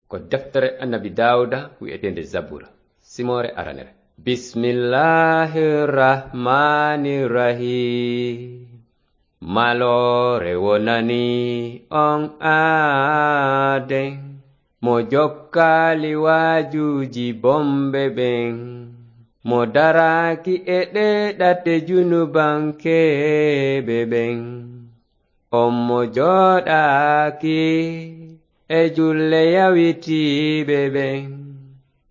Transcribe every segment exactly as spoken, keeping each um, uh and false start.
Ko deftere Annabi Daawuda wi'eteende Zabura, simoore aranere. Bismillahir Rahmanir Rahim. Maloore wonani on aaden, mo jokkaali waajuuji bonɓe ɓen, mo daraaki e ɗee ɗate junubankeeɓe ɓen. On mo jooɗaaki e julle yawitiiɓe ɓen,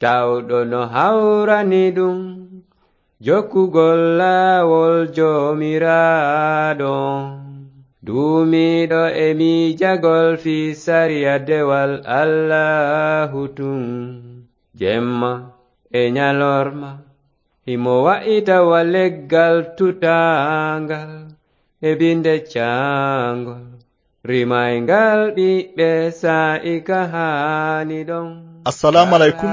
tawɗo no hawrani ɗum jokkugol laawol Joomiraaɗo on, duumiiɗo e miijagol fii sariya dewal Allaahu tun, jemma e ñalorma, himo wa'ita wa leggal tutaangal e binde caangol, rimayngal ɓiɓɓe saa'i ka haani ɗon. Assalaamu aleykum.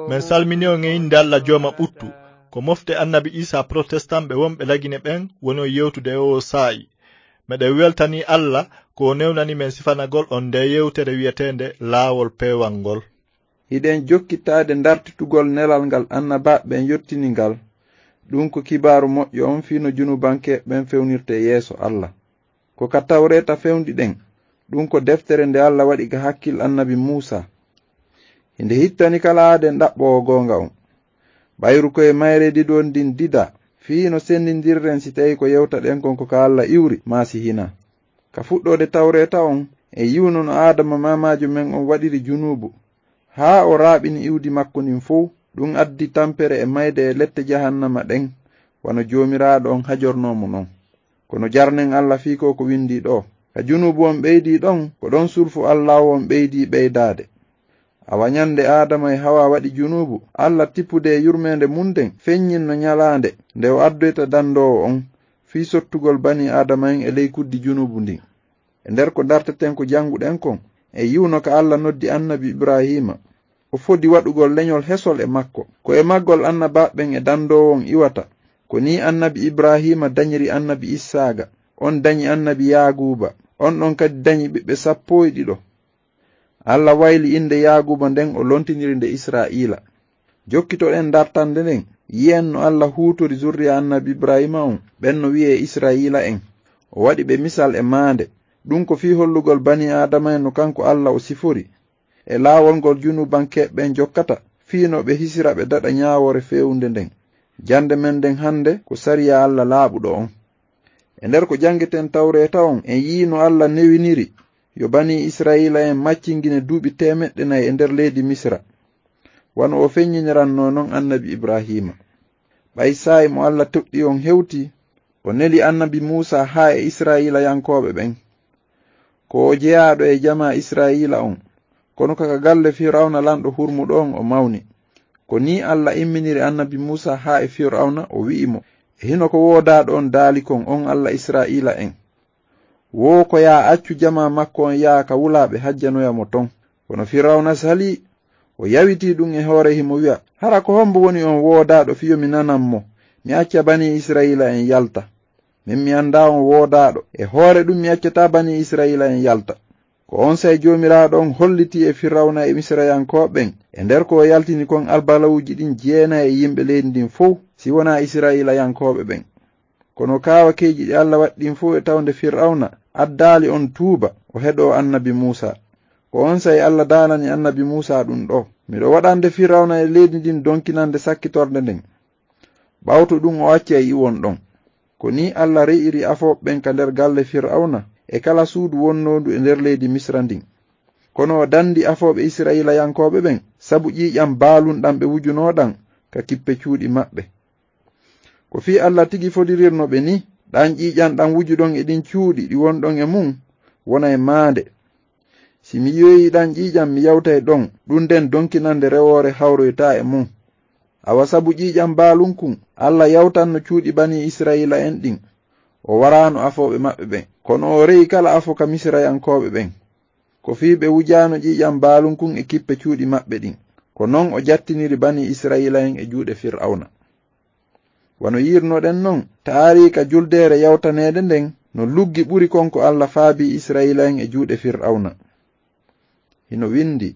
Men salmini on e innde Alla Jooma ɓuttu. Ko mofte Annabi Iisaa Protestan ɓe wonɓe Lagine ɓen woni on yewtude e oo saa'i. Meɗen weltanii Alla ko o newnani men sifanagol on ndee yewtere wi'eteende Laawol Peewal ngol. Hiɗen jokkittaade ndartitugol nelal ngal annabaaɓe ɓen yottini ngal, ɗun ko kibaaru moƴƴo on fii no junubankeeɓe ɓen fewnirtee yeeso Alla. Ko ka Tawreeta fewndi ɗen, ɗun ko deftere nde Alla waɗi ka hakkil Annabi Muusaa. Hinde hittani kala aaden ɗaɓɓoowo goonga on. Ɓayru ko e mayre ɗiɗo ndin didaa, fii no senndindirren si tawii ko yewtaɗen kon ko ka Alla iwri, maa si hinaa. Ka fuɗɗoode Tawreeta on, en yi'uno no Aadama maamaajo men on waɗiri junuubu, haa o raaɓini iwdi makko ndin fow, ɗun addi tampere e mayde e lette jahannama ɗen, wano Joomiraaɗo on hajornoo mo non. Kono jarnen Alla fii ko ko windii ɗoo. Ka junuubu on ɓeydii ɗon, ko ɗon sulfu Allaahu on ɓeydii ɓeydaade. Awa ñande Aadama e Hawaa waɗi junuubu, Alla tippude e yurmeende mun nden, feññinno ñalaande nde o addoyta dandoowo on, fii sottugol banii Aadama en e ley kuddi junuubu ndin. E nder ko ndarteten ko jannguɗen kon, en yi'uno ka Alla noddi Annabi Ibraahiima. O fodi waɗugol leñol hesol e makko. Ko e maggol annabaaɓe ɓen e dandoowo on iwata. Ko nii Annabi Ibraahiima dañiri Annabi Issaaqa, on dañi Annabi Yaaquuba, on ɗon kadi dañi ɓiɓɓe sappo e ɗiɗo. Alla wayli innde Yaaquuba nden, o lontiniri nde Israa'iila. Jokkitoɗen dartande nden, yi'en no Alla huutori zurriya Annabi Ibraahiima on, ɓen no wi'ee Israa'iila en. O waɗi ɓe misal e maande. Ɗun ko fii hollugol banii Aadama en no kanko Alla o sifori, e laawol ngol junubankeeɓe ɓen jokkata, fii no ɓe hisira ɓe daɗa ñaawoore feewunde nden. Jannde men nden hannde ko sariya Alla laaɓuɗo on. E nder ko janngeten Tawreeta on, en yi'ii no Alla newiniri yo banii Israa'iila en maccingine duuɓi teemeɗɗe nayi e nder leydi Misira, wano o feññinirannoo non Annabi Ibraahiima. Ɓay saa'i mo Alla toɗɗii on hewtii, o neli Annabi Muusaa haa e Israa'iilayankooɓe ɓen. Ko o jeyaaɗo e jamaa Israa'iila on, kono ka ka galle Fir'awna lanɗo hurmuɗo on o mawni. Ko nii Alla imminiri Annabi Muusaa haa e Fir'awna, o wi'i mo, "E hino ko woodaaɗo on daali kon, on Alla Israa'iila en? Woo ko yaa accu jamaa makko on yaha ka wulaaɓe hajjanoya mo ton." Kono Fir'awna salii, o yawitii ɗun e hoore himo wi'a, "Hara ko hombo woni on woodaaɗo fii yo mi nanan mo, mi acca banii Israa'iila en yalta? Min mi anndaa on woodaaɗo, e hoore ɗun mi accataa banii Israa'iila en yalta." Ko onsay Joomiraaɗo on hollitii e Fir'awna e Misirayankooɓe ɓen, e nder ko o yaltini kon albalawuuji ɗin jeenay e yimɓe leydi ndin fow, si wonaa Israa'iilayankooɓe ɓen. Kono kaawakeeji ɗi Alla waɗi ɗin fow e tawnde Fir'awna addaali on tuuba, o heɗoo Annabi Muusaa. Ko onsay Alla daalani Annabi Muusaa ɗun ɗoo, "Miɗo waɗande Fir'awna e leydi ndin donkinande sakkitorde nden." Ɓawto ɗun o accay iwon ɗon. Ko nii Alla re'iri afooɓe ɓen ka nder galle Fir'awna e kala suudu wonnoondu e nder leydi Misira ndin. Kono o dandi afooɓe Israa'iilayankooɓe ɓen sabu ƴiiƴan baalun ɗan ɓe wujunoo ɗan ka kippe cuuɗi maɓɓe. Ko fii Alla tigi fodirirno ɓe nii, ɗan ƴiiƴan ɗan wujuɗon e ɗin cuuɗi ɗi wonɗon e mun wona e maande. Si mi yi'oyii ɗan ƴiiƴan, mi yawtay ɗon, ɗun nden donkinande rewoore hawroytaa e mun. Awa sabu ƴiiƴan baalun kun, Alla yawtanno cuuɗi banii Israa'iila en ɗin. O waraano afooɓe maɓɓe ɓen, kono o re'i kala afo ka Misirayankooɓe ɓen. Ko fii ɓe wujaano ƴiiƴan baalun kun e kippe cuuɗi maɓɓe ɗin. Ko non o jattiniri banii Israa'iila en e juuɗe Fir'awna. Wano yi'irnoɗen non, taariika juldeere yawtaneede nden no luggi ɓuri kon ko Alla faabii Israa'iila en e juuɗe Fir'awna. Hino windii,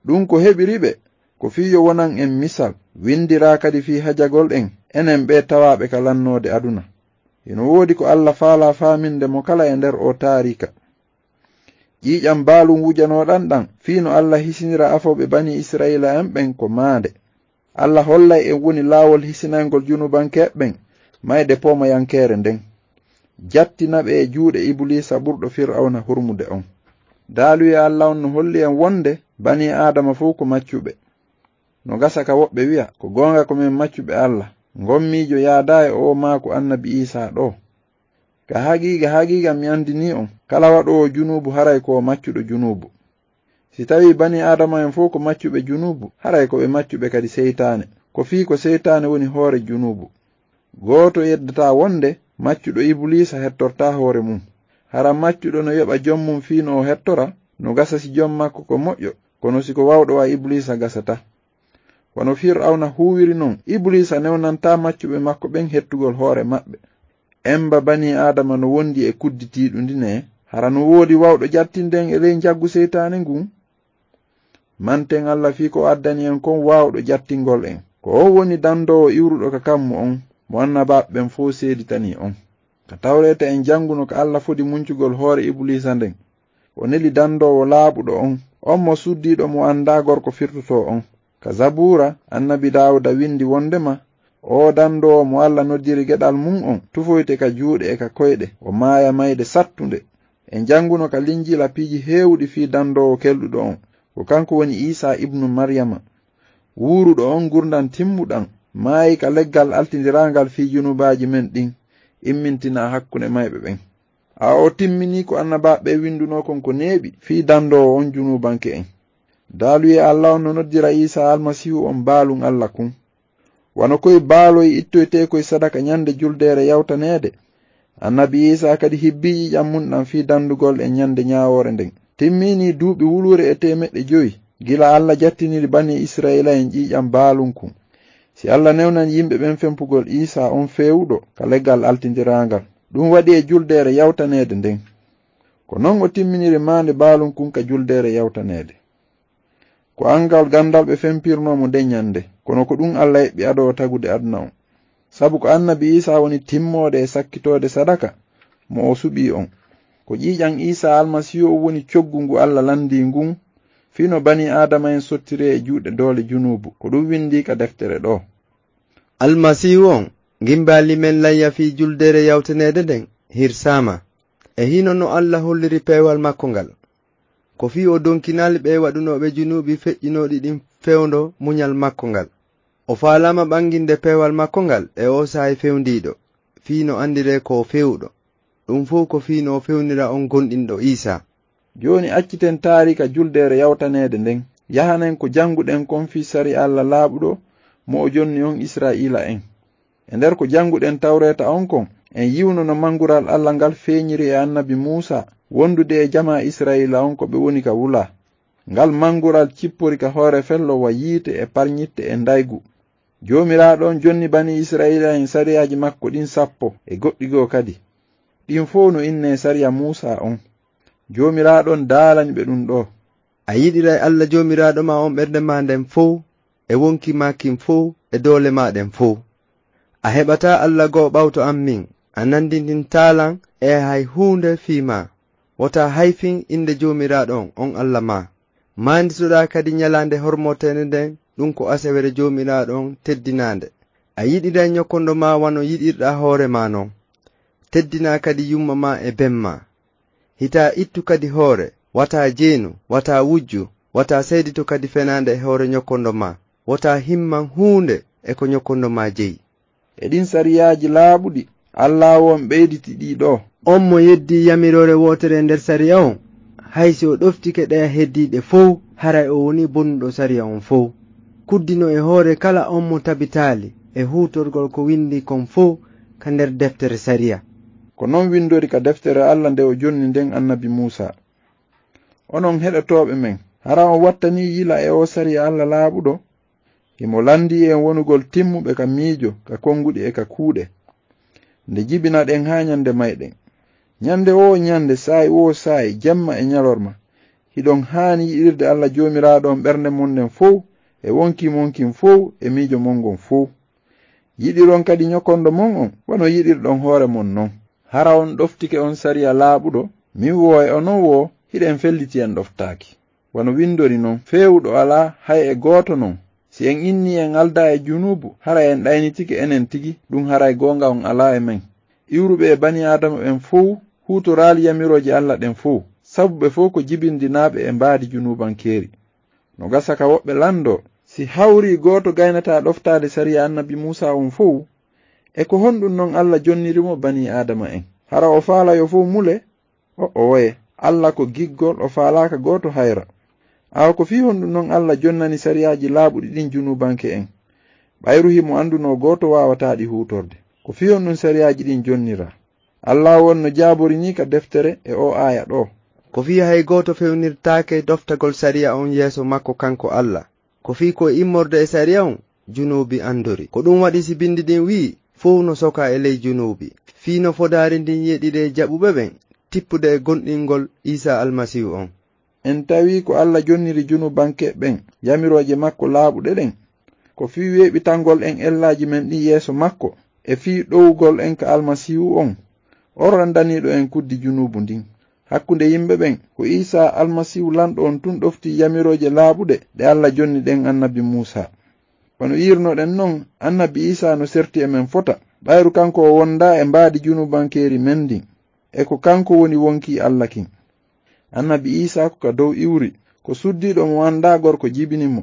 Ɗum ko heɓiri ɓe, ko fii yo wonan en misal, winndiraa kadi fii hajagol en, enen ɓee tawaaɓe ka lannoode aduna. Hino woodi ko Alla faalaa faaminde mo kala e nder oo taariika. Ƴiiƴam baalun wujanooɗan ɗan, fii no Alla hisinira afooɓe Banii Isra'iila'en ɓen ko maande. Alla hollay en woni laawol hisinayngol junubankeeɓe ɓen, mayde poomayankeere nden. Jattina ɓe e juuɗe Ibuliisa ɓurɗo Fir'awna hurmude on. Daaluyee Alla on no holli en wonde Banii Aadama fow ko maccuɓe. No gasa ka woɓɓe wi'a, "Ko goonga ko men maccuɓe Alla." Ngon miijo yaadaa e oo maaku Annabi Iisaa ɗoo. Ka haqiiqa, haqiiqa mi anndinii on, kala waɗoowo junuubu haray ko o maccuɗo junuubu. Si tawii Banii Aadama'en fow ko maccuɓe junuubu, haray ko ɓe maccuɓe kadi seytaane. Ko fii ko seytaane woni hoore junuubu. Gooto yeddataa wonde maccuɗo Ibuliisa hettortaa hoore mun. Hara maccuɗo no yoɓa jom mun fii no o hettora, no gasa si jom makko ko moƴƴo, kono si ko wawɗo wa Ibuliisa gasata. Wano Fir'awna huuwiri non, Ibuliisa newnantaa maccuɓe makko ɓen hettugol hoore maɓɓe. Emba Banii Aadama no wondi e kuddi tiiɗundi ne, hara no woodi wawɗo jattinde en e ley njaggu seytaane ngun? Manten Alla fii ko o addani en kon waawɗo jattingol en. Ko on woni dandoowo iwruɗo ka kammu on, mo annabaaɓe ɓen fow seeditanii on. Ka Tawreeta en janguno ka Alla fodi muncugol hoore Ibuliisa nden. O neli dandoowo laaɓuɗo on, on mo suddiiɗo mo anndaa gorko firtotoo on. Ka Zabuura, Annabi Daawuda windi wondema, "Oo dandoowo mo Alla noddiri geɗal mun on, tufoyte ka juuɗe e ka koyɗe, o maaya mayde sattunde." En janguno ka Linjiila piiji heewuɗi fii dandoowo kelɗuɗo on. Ko kanko woni Iisaa ibnu Maryama. Wuuruɗo on ngurndan timmuɗan, maayi ka leggal altindiraangal fii junubaaji men ɗin, immintinaa hakkunde mayɓe ɓen. A o timminii ko annabaaɓe ɓen windunoo kon ko neeɓi fii dandoowo on junuubanke'en. Daaluyee Alla on no noddira Iisaa Almasiihu on baalun Alla kun. Wano koy baaloy ittoytee koy sadaka ɲande juldeere yawtaneede, Annabi Iisaa kadi hibbii ƴiiƴan mun ɗan fii dandugol en ɲande ɲaawoore nden. Timminii duuɓi wuluure e teemeɗɗe jowi, gila Alla jattiniri Banii Isra'iila'en ƴiiƴan baalun kun. Si Alla newnan yimɓe ɓen fempugol Iisaa on feewuɗo ka leggal altindiraangal, ɗum waɗi e juldeere yawtaneede nden. Ko non o timminiri maande baalun kun ka juldeere yawtaneede. Ko anngal gandal ɓe fempirnoo mo nden ɲande, kono ko ɗum Alla eɓɓi ado o tagude aduna on. Sabu ko Annabi Iisaa woni timmoode e sakkitoode sadaka mo o suɓii on. Ko ƴiiƴan Iisaa Almasiihu on woni coggu ngu Alla landii ngun, fii no banii Aadama'en sottiree e juuɗe doole junuubu, ko ɗum windii ka deftere ɗoo. Almasiihu on, ngimbaali men layya fii juldeere yawtaneede nden, hirsaama. E hino no Alla holliri peewal makko ngal. Ko fii o donkinaali ɓe waɗunooɓe junuubi feƴƴinooɗi ɗin fewndo muɲal makko ngal. O faalaama ɓanginde peewal makko ngal e oo saa'i fewndiiɗo, fii no andiree ko o feewuɗo. Ɗum fow ko fii no o fewnira on gomɗinɗo Iisaa. Jooni acciten taariika juldeere yawtaneede nden, yahanen ko jannguɗen kon fii sariya Alla laaɓuɗo mo o jonni on Isra'iila'en. E nder ko jannguɗen Tawreeta on kon, en yi'uno no mangural Alla ngal feeɲiri e annabi Muusaa, wondude e jamaa Isra'iila on ko ɓe woni ka wula. Ngal mangural cippori ka hoore fello wa yiite e parɲitte e ndaygu. Joomiraaɗo on jonni banii Isra'iila'en sariyaaji makko ɗin sappo e goɗɗi goo kadi. Ɗin fow no innee sariya Muusaa on. Joomiraaɗo on daalani ɓe ɗum ɗoo. A yiɗiray Alla Joomiraaɗo maa on ɓernde maa nden fow, e wonki maa kin fow, e doole maa ɗen fow. A heɓataa Alla goo ɓawto an min, a nandintintaa lan e hay huunde fii maa. Wota hayfin innde Joomiraaɗo on, on Alla maa. Maanditoɗaa kadi ɲalaande hormoteende nden, ɗum ko asawere Joomiraaɗo on teddinaande. A yiɗiray ɲokkondo maa wano yiɗirɗaa hoore maa non. Teddinaa kadi yumma maa e ben maa. Hitaa ittu kadi hoore, wataa jeenu, wataa wujju, wataa seedito kadi fenaande e hoore ɲokkondo maa. Wataa himman huunde e ko ɲokkondo maa jeyi. E ɗin sariyaaji laaɓuɗi, Alla on ɓeyditi ɗii ɗoo. On mo yeddii yamiroore wootere nder sariya on, hay si o ɗoftike ɗeya heddiiɗe fow, haray o wonii bonnuɗo sariya on fow. Kuddino e hoore kala on mo tabitaali e huutorgol ko windii kon fow ka nder deftere sariya. Ko non windori ka deftere Alla nde o jonni nden annabi Muusaa. Onon heɗotooɓe men, hara on wattanii yila e oo sariya Alla laaɓuɗo? Himo landii en wonugol timmuɓe ka miijo, ka konguɗi e ka kuuɗe. Nde jibinaɗen haa ɲande mayɗen. Ɲande woo ɲande, saa'i woo saa'i, jemma e ɲalorma, Hiɗon haani yiɗirde Alla Joomiraaɗo on ɓernde mon nden fow, e wonkii mon kin fow, e miijo mon ngon fow. Yiɗiron kadi nyokondo mon on, wano yiɗirɗon hoore mon non. Hara on ɗoftike on sariya laaɓuɗo, min woo e onon woo, hiɗen felliti en ɗoftaaki. Wano windori non, feewuɗo alaa hay e gooto non. Si en innii en aldaa e junuubu, hara en ɗaynitike enen tigi, ɗun haray goonga on alaa e men. Iwruɓe e banii Aadama ɓen fow huutoraali yamirooje Alla ɗen fow, sabu ɓe fow ko jibindinaaɓe e mbaadi junuubankeeri. No gasa ka woɓɓe lanndoo, si hawrii gooto gaynataa ɗoftaade sariya annabi Muusaa on fow, e ko honɗun non Alla jonniri mo banii Aadama en? Hara o faala yo fow mule? O'oye, Alla ko giggol, o faalaaka gooto hayra. Awa ko fii honɗun non Alla jonnani sariyaaji laaɓuɗi ɗin junuubanke en? Ɓayru himo anndunoo gooto waawataa ɗi huutorde. Ko fii honɗun sariyaaji ɗin jonniraa? Alla won no jaabori nii ka deftere e oo aaya ɗoo. Ko fii hay gooto fewnirtaake ɗoftagol sariya on yeeso makko kanko Alla. Ko fii ko e immorde e sariya on, junuubi anndori. Ko ɗun waɗi si bindi ɗin wi'i, fow no soka e ley junuubi. Fii no fodaari ndin yeɗiree jaɓuɓe ɓen, tippude e gomɗingol Iisaa Almasiihu on. En tawii ko Alla jonniri junuubanke ɓen yamirooje makko laaɓuɗe ɗen. Ko fii weeɓitangol en ellaaji men ɗin yeeso makko, e fii ɗowugol en ka Almasiihu on, on ranndaniiɗo en kuddi junuubu ndin. Hakkunde yimɓe ɓen, ko Iisaa Almasiihu lanɗo on tun ɗoftii yamirooje laaɓuɗe ɗe Alla jonni ɗen annabi Muusaa. Wano yi'irnoɗen non, annabi Iisaa no serti e men fota, ɓayru kanko o wondaa e mbaadi junuubankeeri men ndin, e ko kanko woni wonkii Alla kin. Annabi Iisaa ko ka dow iwri, ko suddiiɗo mo anndaa gorko jibini mo.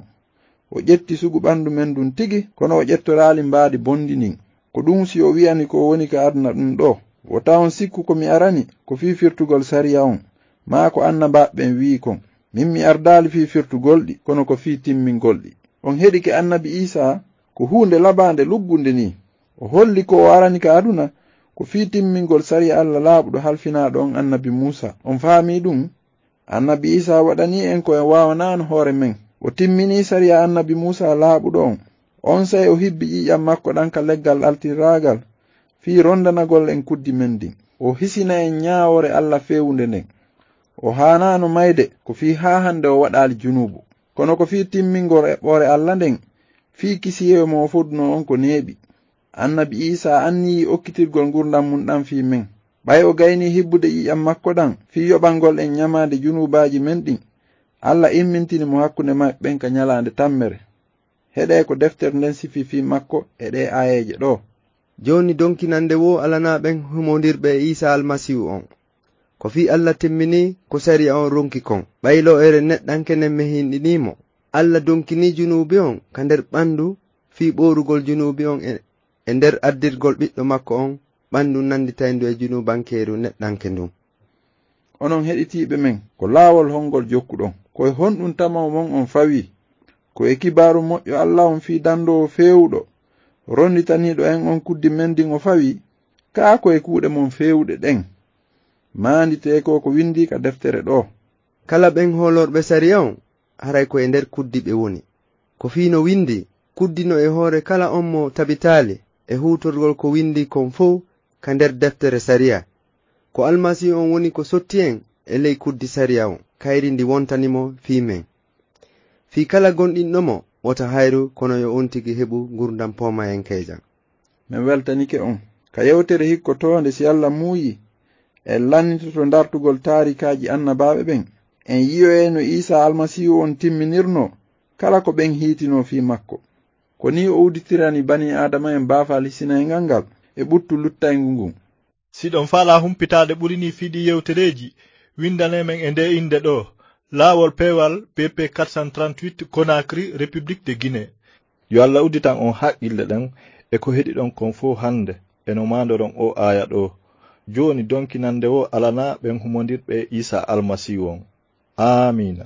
O ƴetti sugu ɓandu men ndun tigi, kono o ƴettoraali mbaadi bonndi ndin. Ko ɗun si o wi'ani ko o woni ka aduna ɗun ɗoo. Wota on sikku ko mi arani, ko fii firtugol sariya on, maa ko annabaaɓe ɓen wi'i kon. Min mi ardaali fii firtugol ɗi, kono ko fii timmingol ɗi. On heɗike annabi Iisaa, ko huunde labaande luggunde nii. O holli ko o arani ka aduna, ko fii timmingol sariya Alla laaɓuɗo halfinaaɗo on annabi Muusaa. On faamii ɗun? Annabi Iisaa waɗanii en ko en waawanaano hoore men. O timminii sariya annabi Muusaa laaɓuɗo on. Onsay o hibbi ƴiiƴan makko ɗan ka leggal altiraagal, fii rondanagol en kuddi men ndin. O hisina en ñaawoore Alla feewunde nden. O haanaano mayde, ko fii haa hande o waɗaali junuubu. Kono ko fii timmingol eɓɓoore Alla nden, fii kisiyeeyo mo o fodunoo on ko neeɓi. Annabi Iisaa anniyii okkitirgol ngurndan mun ɗan fii men. Ɓay o gaynii hibbude ƴiiƴan makko ɗan fii yoɓangol en ñamaande junuubaaji men ɗin, Alla immintini mo hakkunde maɓɓe ɓen ka ñalaande tammere. Heɗee ko deftere nden sifii fii makko e ɗee aayeeje ɗoo. Jooni donkinande woo alanaa ɓen humondirɓe e Iisaa Almasiihu on. Ko fii Alla timminii ko sariya on ronki kon, ɓay lo'ere neɗɗanke nden mehinɗinii mo. Alla donkinii junuubi on ka nder ɓandu fii ɓoorugol junuubi on e, e nder addirgol ɓiɗɗo makko on ɓandu nanditayndu e junuubankeeru neɗɗanke ndun. Onon heɗitiiɓe men, ko laawol hongol jokkuɗon? Ko e honɗun tamaw mon on fawii? Ko e kibaaru moƴƴo Alla on fii dandoowo feewuɗo, ronditaniiɗo en on kuddi men ndin o fawii? Kaa ko e kuuɗe mon feewuɗe ɗen? Maanditee ko ko windii ka deftere ɗoo. Kala ɓen hoolorɓe sariya on, haray ko e nder kuddi ɓe woni. Ko fii no windii, kuddi no e hoore kala on mo tabitaali e huutorgol ko windii kon fow ka nder deftere sariya. Ko Almasiihu on woni ko sotti en e ley kuddi sariya on, kayri ndi wontani mo fii men. Fii kala gomɗinɗo mo, wota hayru, kono yo on tigi heɓu ngurndan poomayenkeejan. Men weltanike on. Ka yewtere hikkotoonde, si Alla muuyii, en lannitoto dartugol taarikaaji annabaaɓe ɓen. En yi'oyay no Iisaa Almasiihu on timminirnoo kala ko ɓen hiitinoo fii makko. Ko nii o udditirani banii Aadama en baafal hisinayngal ngal e ɓuttu luttayngu ngun. Si ɗon faalaa humpitaade ɓuri nii fii ɗii yewtereeji, windanee men e ndee innde ɗoo, Laawol Peewal, B P quatre cent trente-huit, Conakry, République de Guinée. Yo Alla udditan on haqqille ɗen e ko heɗiɗon kon fow hande, e no maandoron oo aaya ɗoo. Jooni donkinande woo alanaa ɓen humondirɓe e Iisaa Almasiihu on. Aamiina.